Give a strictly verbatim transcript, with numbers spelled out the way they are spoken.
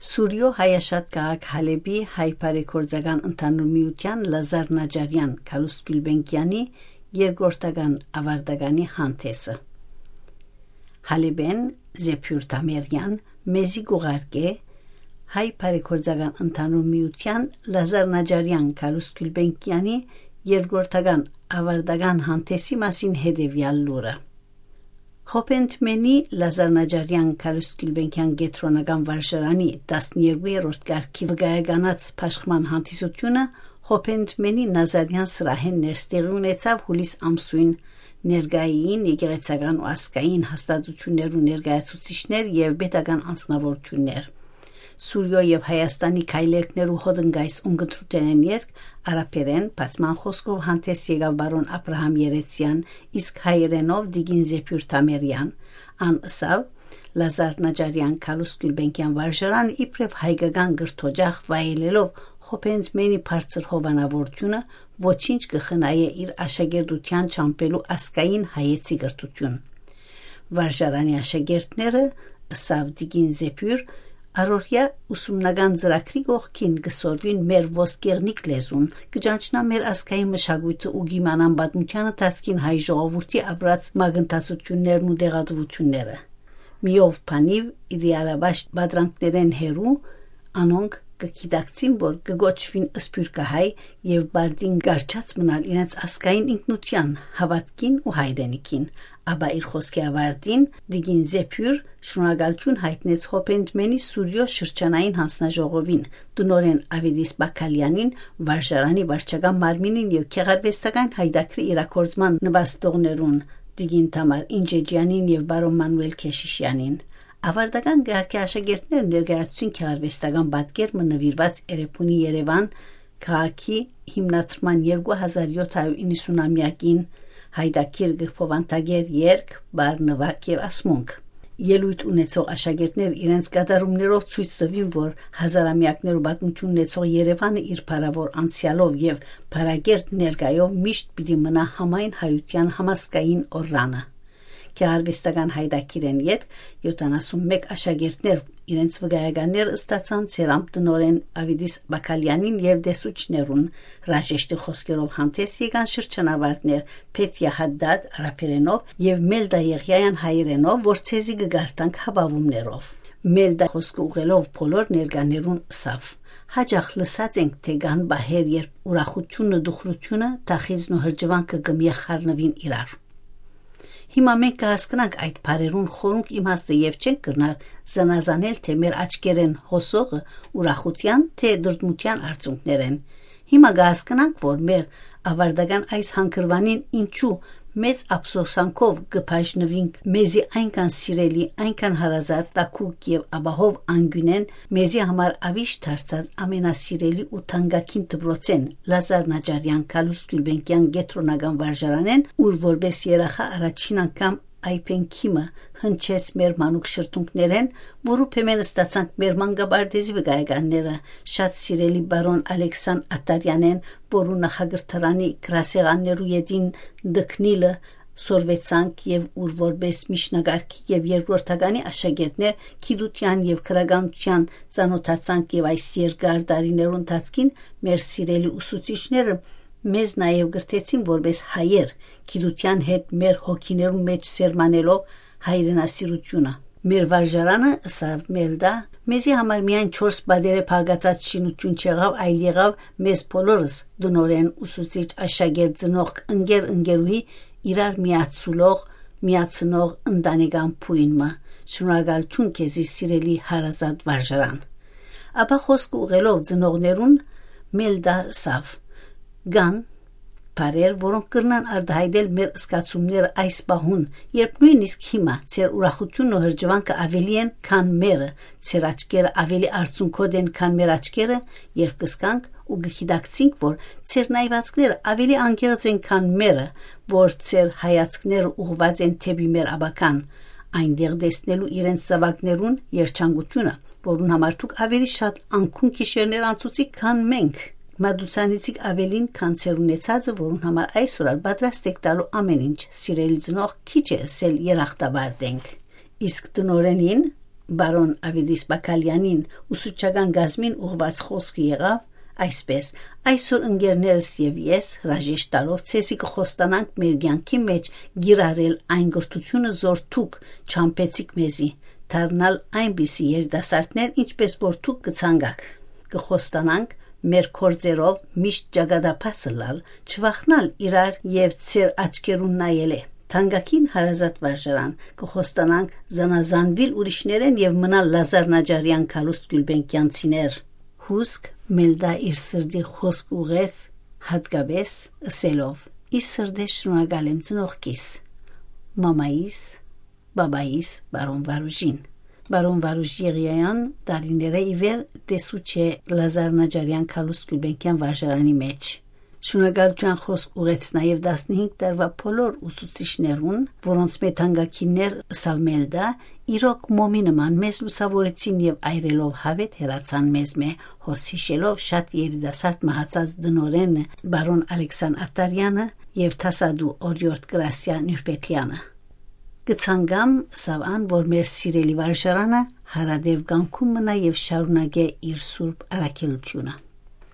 Սուրիոյ հայաշատ քաղաք Հալէպի հայ բարեգործական ընդհանուր միութեան Լազար Նաճարեան Գալուստ Գիւլբենկեանի երկրորդական աւարտականի հանդէսը։ Հալէպէն Զեփիւր Թամերեան մեզի կ'ուղարկէ հայ բարեգործական ընդհանուր միութեան Լազար Նաճարեան Գալուստ Գիւլբենկեանի երկրորդական աւարտական հանդէսի մասին հետեւեալ լուրը։ Հոփենտմենի Լազար Նաճարեան Գալուստ Գիւլբենկեան կեդրոնական վարժարանի տասներկու երրորդ կարգի վկայականաց բաշխման հանդիսութիւնը Հոփենտմենի Նազարեան սրահէն ներս տեղի ունեցաւ յուլիս ամսոյն, ներկայ էին եկեղեցական ու ազգային հաստատութիւններու ներկայացուցիչներ եւ պետական անձնաւորութիւններ։ Սուրիոյ եւ Հայաստանի քայլերգներու հոտնկայս ունկնդրութենէն ետք արաբերէն բացման խօսքով հանդէս եկաւ պարոն Աբրահամ Երեցեան, իսկ հայերէնով տիկին Զեփիւր Թամերեան։ Ան ըսաւ. «Լազար Նաճարեան Գալուստ Գիւլբենկեան վարժարանը իբրեւ հայկական կրթօջախ վայելելով Հոփենտմենի բարձր հովանաւորութիւնը, ոչինչ կը խնայէ իր աշակերտութեան չամբելու ազգային հայեցի կրթութիւն։ Վարժարանի աշակերտները», ըսաւ տիկին Զեփիւր, «առօրեայ ուսումնական ծրագրի կողքին կը սորվին մեր ոսկեղնիկ լեզուն, կը ճանչնան մեր ազգային մշակոյթը ու կ'իմանան պատմութեան ընթացքին հայ ժողովուրդի ապրած մագնտացութիւններն ու տեղատուութիւնները։ Միով բանիւ իդեալաբաշխ պատրանքներէն հեռու, անոնք կը գիտակցին, որ կը կոչուին սփիւռքահայ եւ պարտին կառչած մնալ իրենց ազգային ինքնութեան, հաւատքին ու հայրենիքին»։ Ապա իր խօսքի աւարտին տիկին Զեփիւր շնորհակալութիւն յայտնեց Հոփենտմենի Սուրիոյ շրջանային յանձնաժողովին, տնօրէն Ավետիս Բակալեանին, վարժարանի վարչական մարմինին եւ գեղարուեստական յայտագրի իրագործման նպաստողներուն, տիկին Թամար Ինջեջեանին եւ պարոն Մանուել Քեշիշեանին։ Աւարտական կարգի աշակերտները ներկայացուցին գեղարուեստական պատկեր մը նուիրուած Էրեբունի Երեւան քաղաքի հիմնադրման երկու հազար յոթ հարիւր իննսունամեակին, յայտագիր կը բովանդակէր երգ, պար, նուագ եւ ասմունք։ Ելոյթ ունեցող աշակերտներ իրենց կատարումներով ցոյց տուին, որ հազարամեակներու պատմութիւն ունեցող Երեւանը իր փառաւոր անցեալով եւ փառակերտ ներկայով միշտ պիտի մնայ համայն հայութեան համազգային օրրանը։ Գեղարուեստական յայտագիրէն ետք յոթանասուն մէկ աշակերտներ իրենց վկայականներ ստացան ծերամբը տնօրէն Ավետիս Բակալեանին եւ տեսուչներուն։ Հրաժեշտի խօսքերով հանդէս եկան շրջանավարտներ Փեթիա Հադդադ արաբերէնով եւ Մելդա Եղիայան հայերէնով, որ ձեզի կը կարդանք հապաւումներով։ Մելդա խօսքը ուղղելով բոլոր ներկաներուն ըսաւ. «Յաճախ լսած ենք, թէ կան պահեր, երբ ուրախութիւնը, դախիծն ու հրճուանքը կը միախառնուին իրար։ Հիմա մենք կը հասկնանք այդ բառերուն խորունկ իմաստը եւ չենք կրնար զանազանել, թէ մեր աչքերէն հոսողը ուրախութեան, թէ դրդմութեան արդյունքներէն։ Հիմա կը հասկնանք, որ մեր աւարտական այս հանգրուանին ինչու մեծ ափսոսանքով կը բաժնուինք մեզի այնքան սիրելի, այնքան հարազատ, տաքուկ եւ ապահով անկիւնէն, մեզի համար աւիշ դարձած ամենասիրելի ու թանկագին դպրոցէն, Լազար Նաճարեան Գալուստ Գիւլբենկեան կեդրոնական վարժարանէն, ուր որպէս երախա առաջին անգամ այբենքի մը հնչեց մեր մանուկ շրթունքներէն, որու փեմէն ստացանք մեր մանկապարտեզի վկայականները, շատ սիրելի պարոն Ալեքսան Աթարեանէն, որու նախակրթարանի գրասեղաններու ետին տքնիլը սորվեցանք եւ ուր որպէս միջնակարգի եւ երկրորդականի աշակերտներ գիտութեան եւ գրականութեան ծանօթացանք եւ այս երկար տարիներու ընթացքին մեր սիրելի ուսուցիչները մեզ նաեւ կրթեցին որպէս հայեր, գիտութեան հետ մեր հոգիներուն մէջ սերմանելով հայրենասիրութիւնը։ Մեր վարժարանը, ըսաւ Մելդա, մեզի համար միայն չորս պատերէ փակացած շինութիւն չեղաւ, այլ եղաւ մեզ բոլորս՝ տնօրէն, ուսուցիչ, աշակերտ, ծնողք, ընկեր, ընկերուհի, իրար միացուլող, միացնող ընտանեկան բոյն մը։ Շնորհակալութիւն քեզի, սիրելի հարազատ վարժարան։ Ապա խօսքը ուղղելով ծնողներուն, Մելդա ըսաւ. «Կան բառեր, որոնք կրնան արտայայտել մեր զգացումները այս պահուն, երբ նոյնիսկ հիմա ձեր ուրախութիւնն ու հրճուանքը աւելի են, քան մերը, ձեր աչքերը աւելի արցունքոտ են, քան մեր աչքերը, երբ կսկանք ու կգիտակցինք, որ ձեր նայվածքները աւելի անկեղծ են, քան մերը, որ ձեր հայացքները ուղղված են դէպի մեր ապագան, այնտեղ տեսնելու իրենց զաւակներուն երջանկութիւնը, որուն համար դուք աւելի շատ անկուն գիշերներ անցուցիք, քան մենք։ Մատուցանեցիք աւելին, քան ձեր ունեցածը, որուն համար այսօր ալ պատրաստ եք տալու ամեն ինչ, սիրելի ծնող, քիչ է ըսել, երախտապարտ ենք»։ Իսկ տնօրէնին Պարոն Ավետիս Պակալեանին ուսուցչական կազմին ուղղուած խօսքը եղաւ այսպէս. «Այսօր, ընկերներս եւ ես, հրաժեշտ տալով, ցեզի կը խոստանանք մեր կեանքի մէջ կիրառել այն կրթութիւնը, զոր դուք չամպեցիք մեզի, դառնալ այնպիսի երիտասարդներ, ինչպէս որ դուք կը ցանկաք։ Կը խոստանանք մեր գործերով միշտ ճակատաբաց ըլլալ, չվախնալ իրար եւ ձեր աչքերուն նայելէ։ Թանկագին հարազատ վարժարան, կը խոստանանք զանազանուիլ ուրիշներէն եւ մնալ Լազար Նաճարեան Գալուստ Գիւլբենկեանցիներ»։ Հուսկ Մելդա իր սրտի խօսք ուղղեց յատկապէս, ըսելով. «Ի սրտէս շնորհակալ եմ ծնողքիս, մամայիս, պապայիս, պարոն Վարուժին։ Պարոն Վարուժ Եղիայան տարիներէ ի վեր տեսուչ է Լազար Նաճարեան Գալուստ Գիւլբենկեան վարժարանի մէջ։ Շնորհակալութեան խօսք ուղղեց նաեւ տասնհինգ տարուայ բոլոր ուսուցիչներուն, որոնցմէ թանկագիններ ըսաւ Մելդա, իրոք մոմի նման մեզ լուսաւորեցին եւ այրելով յաւէտ հեռացան մեզմէ, հոս յիշելով շատ երիտասարդ մահացած տնօրէն պարոն Ալեքսան Աթարեանը եւ դասատու օրիորդ Գրասիա Նիւրպեթլեանը։ Կը ցանկամ, ըսաւ ան, որ մեր սիրելի վարժարանը հարատեւ կեանքում մնայ եւ շարունակէ իր սուրբ առաքելութիւնը»։